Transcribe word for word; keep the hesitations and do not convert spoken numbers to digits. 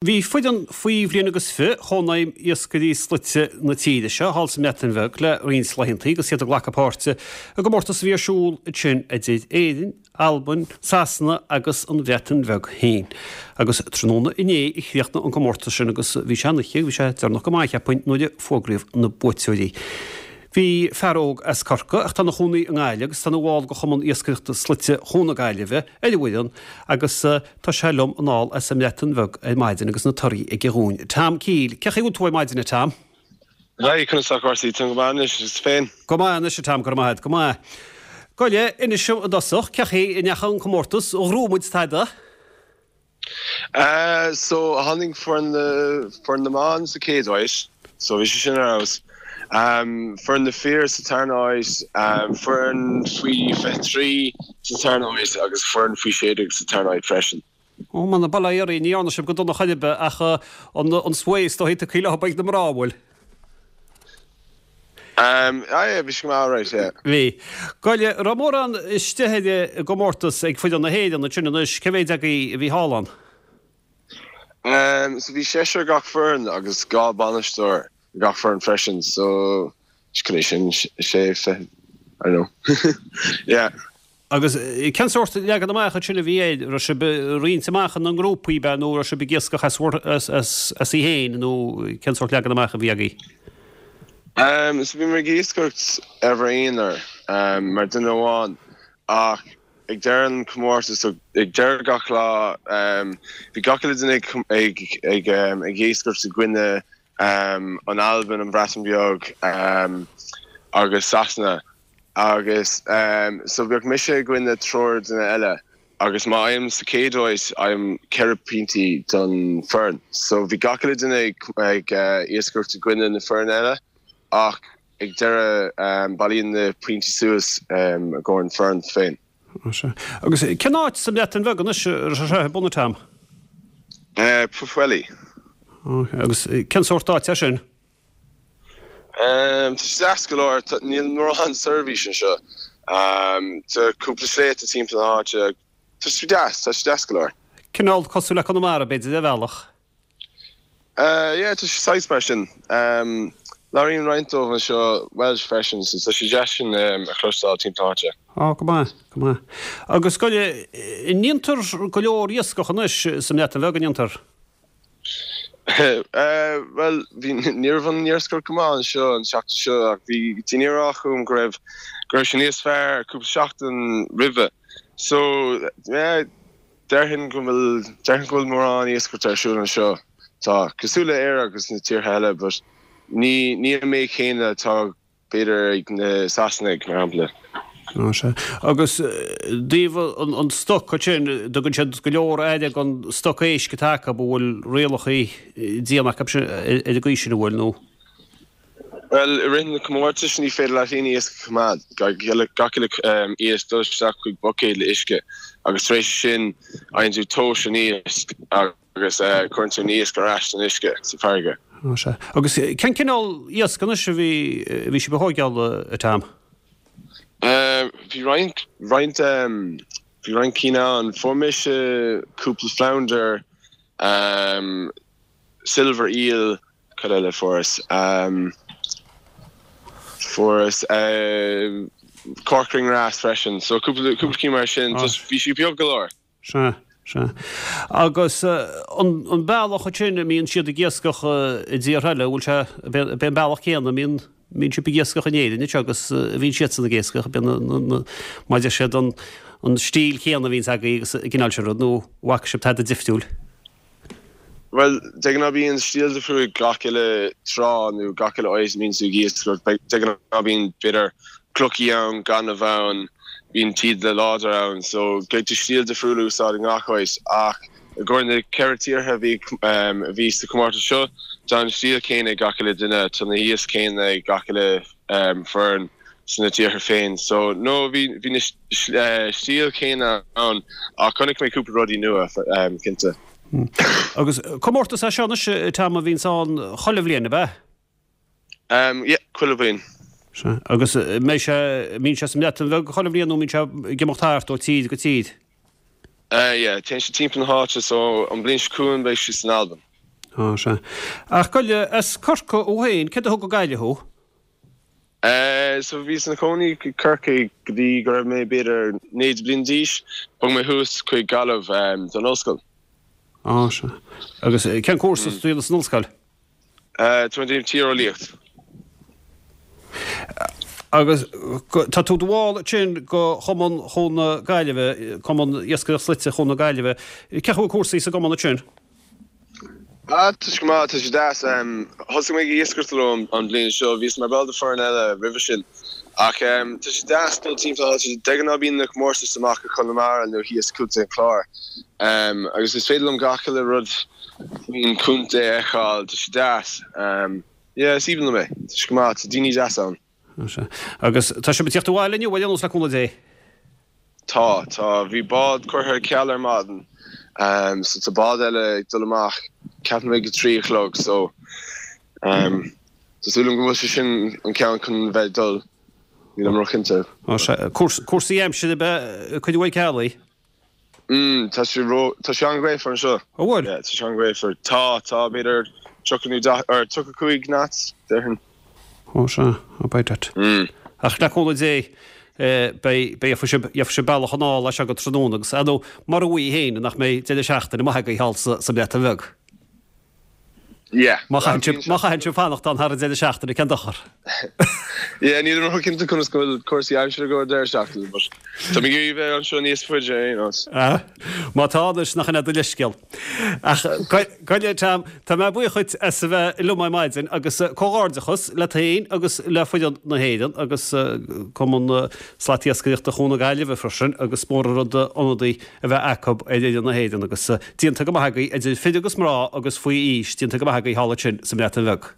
Bhí foireann faoi bhliain agus fiche Chónaidhm Iascairí Slaite na tíre seo thall sa mBreatain Bheag le roinnt laethanta agus iad ag glacadh páirte i gcomórtas a bhí ar siúl ansin idir Éirinn, Albain, Sasana agus an Bhreatain Bheag féin. Agus tráthnóna inné a chríochnaigh an comórtas sin agus bhí sé an-oíche, bhí sé deireanach go maith cheapfainn nuair a fógraíodh na buaiteoirí. Bhí fear óg as Corcaigh ach tá ina chónaí i nGaillimh agus tá ina bhall de Chumann Iascaireachta Slaite Chuan na Gaillimhe ar an bhfoireann agus tá sé liom anall as an mBreatain Bheag ar maidin agus na torthaí aige dhúinn. Tom Keil, cén chaoi a bhfuil tú ar maidin a Tom? Hi, conas tá cúrsaí? Tá go maith anois, is féin? Go maith anois a Tom, go raibh maith agat, go maith. Gabh i leith, inis dom i dtosach, cén chaoi a ndeachaigh an comórtas, an ghnóthaigh muid tada? Uh, so tháinig foireann na foireann na mban sa chéad áit, so bhí sé sin ar fheabhas. Um, foireann na fir sa tarna háit, um, foireann faoi fiche trí sa tarna háit agus foireann faoi sé déag sa tarna háit freisin. Ó man, bail ó Dhia oraibh, ní dhearna sibh go dona chor ar bith ach uh, an, an sway is dóigh tugtha leo ag na mná bhfuil. Um, ah, yeah, bhí sé go maith alright, yeah. Bhí. Gabh i leith, raibh mórán istigh ar an gcomórtas ag foireann na hÉireann ansin anois, cé mhéad agaibh a bhí thall ann? Um, so bhí seisear gach foireann agus dhá bainisteoir gach foireann freisin, so cad é sin sé fiche I don't know. yeah. Agus eh, cén sórt leagan amach sin a bhí é raibh sibh roinnte amach ina ngrúpaí be nó raibh sibh ag iascach as as as as í féin nó cén sórt leagan amach a bhí agaibh. Um, so bhí mé ag iascaireacht ar bhur aonar um, mar duine amháin ach ag deireadh an comórtas so ag deireadh gach lá um, bhí gach uile duine ag ag ag, um, ag iascaireacht i gcoinne um, an Albain an Bhreatain Bheag um, agus Sasana agus um, so bheadh mise i gcoinne triúr duine eile agus má fhaighim sa chéad áit fhaighim ceithre pointí don foireann. So bhí gach uile duine ag, ag uh, iascaireacht i gcoinne na foireann eile ach ag deireadh um, bailíonn na pointí suas um, i gcomhair an foireann féin. Agus cén áit sa mBreatain Bheag anois sé bunna tam? Uh, Pwllheli. Agus cén sórt áit é sin? Um, tá sé deas go leor níl mórán seirbhís anseo. Um, tá cúpla sléibhte timpeall na háite Tá sé deas, tá sé deas go leor. Cineál cosúil le Conamara b'fhéidir de bhealach. Uh, yeah, tá sé saghas mar sin. Um, Labhraíonn roinnt dóibh anseo Welsh freisin, so tá sé deas sin um, a chloisteáil timpeall na háite. Á go maith, go maith. Agus go ndéantar go leor iascach anois sa mBreatain Bheag an ndéantar. Uh, well bhí ní raibh an iascaireacht go maith anseo an seachtain seo ach bhí daoine ag rá chugam go raibh go raibh sé níos fearr cúpla seachtain roimhe. So yeah, déarfainn go bhfuil déarfainn go bhfuil mórán iascaireacht ar siúl anseo. Tá cosúil le Éire agus na tíortha eile, but ní ní an méid céanna atá b'fhéidir ag na Sasanaigh mar shampla. sé. Agus díobh an, an stoc sin tugann siad go leor aire don stoc éisc atá acu bhfuil rialacha diana acu sin ar an gcaoi sin bhfuil nó. Well i rith na comórtais ní féidir leat aon iasc a choimeád gach uile um, iasc dul isteach chuig buicéad le uisce agus tar éis sin faigheann tú tomhas an iasc agus uh, cuireann tú an iasc ar ais san uisce sa farraige. sé. Agus cén cineál iasc anois a bhí bhí sibh a thógáil a Tom. Uh, bhí roinnt roinnt um, bhí roinnt cinn ann fuair mise cúpla flounder um, silver eel cad eile fuaireas um, fuaireas uh, corkwing wrasse freisin so cúpla cúpla cinn mar sin Ah. just bhí sí beag go leor. Se se. Agus uh, an, an bealach sin a mbíonn siad ag iascach uh, i dtíortha eile, bhfuil sé b'é an bealach céanna mbíonn mbíonn sibh ag iascach in Éirinn agus uh, bhíonn siadsan ag iascach b'é maidir siad an an stíl chéanna a bhíonn agaibh agus cineál sin rud nó bhfaca sibh tada difriúil. Well de ghnáth bíonn stíl difriúil gach uile trá nó gach uile áit a mbíonn tú ag iascaireacht de ghnáth bíonn b'fhéidir clocha ann gaineamh ann bíonn taoide láidir ann so caithfidh tú stíl difriúil úsáid i ngach áit ach i gcomhair na ceithre tíortha bhí um, a bhí sa comórtas seo tá an stíl céanna ag gach uile duine tá na hiasc céanna ag gach uile um, foireann sna tíortha féin so no bhí bhí na uh, stíl céanna ann ach chonaic mé cúpla rudaí nua um, cinnte. Agus comórtas é seo anois Tom a bhíonn ann chuile bhliain ab ea? Um, yeah, chuile bhliain. Se. Agus mé sé mbíonn sé sa mBreatain Bheag chuile bhliain nó mbíonn sé ag imeacht thart ó tír go tír. Uh, yeah, téann sé timpeall na háite so an bliain seo chugainn beidh sé san Albain. Á, sea. Ach gabh i leith, as Corcaigh thú féin, céard a thug go Gaillimh thú? Eh, so bhíos ina chónaí i Corcaigh go dtí go raibh mé b'fhéidir naoi bliain d'aois. Bhog mé thuas chuig Gaillimh um, don ollscoil. Á, sea. Agus cén cúrsa atá tú a dhéanamh san ollscoil? Eh, tá mé ag déanamh tíreolaíocht. Agus tá tú i do bhall ansin de Chumann Chuan na Gaillimhe, Cumann Iascaireacht Slaite Chuan na Gaillimhe. Cén chaoi a bhfuil cúrsaí sa gcumann ansin? Ah, tá sé go maith, tá sé deas. Thosaigh mé ag iascaireacht leo an bhliain seo, bhíos mar ball de foireann eile roimhe sin. Ach tá sé deas dul timpeall na háite, de ghnáth bíonn na comórtais amach i Conamara nó thíos i gContae an Chláir. Agus is féidir liom gach uile rud faoin chontae a fheiceáil, tá sé deas. Yeah, is aoibhinn liom é, tá sé go maith, tá daoine deasa ann. Agus tá sibh ag tíocht abhaile inniu ar aon nós le cúnamh Dé? Tá, tá. Bhí bád curtha ar ceal ar maidin so tá bád eile ag dul amach ceapaim ag a trí a chlog so tá súil agam go bhfuil sé sin an ceann chun bheith ag dul, nílim róchinnte. Ó sea. Cúrsaí aimsire ab ea a cuireadh ar ceal í? Mm, tá sé ró, tá sé an-ghaofar anseo. Ó bhfuil? Yeah, tá sé an-ghaofar. Tá, tá, b'fhéidir tríocha nó daichead, or tríocha cúig knots, déarfainn. Ó sea, ó beidh that. Mm. Ach le cúnamh Dé, beidh, beidh, gheobhaidh sibh, gheobhaidh sibh bealach anall as seo go tráthnóna agus, ar ndóigh, mar a bhí féin, nach mbeidh deireadh seachtaine maith agaibh thall sa, sa mBreatain Bheag. Yeah. Má chaitheann sibh, má chaitheann sibh fanacht ann thar an deireadh seachtaine, cén dochar? Yeah, nílim ró-chinnte conas go bhfuil cúrsaí aimsire go deireadh seachtaine, but tá mé ag iarraidh bheith anseo níos faide ar aon nós. Ah, má tá anois, nach in é do leithscéal. Ach, gabh i leith, Tom, tá mé buíoch dhuit as a bheith liom ar maidin agus comhghairdeachas leat féin agus le foireann na hÉireann agus Cumann Slatiascaireachta Chuan na Gaillimhe freisin agus mór an rud ionadaí a bheith acu ar fhoireann na hÉireann agus déanta go maith agaibh idir fir agus mná agus faoi aois, déanta go maith agaibh thall ansin sa mBreatain Bheag.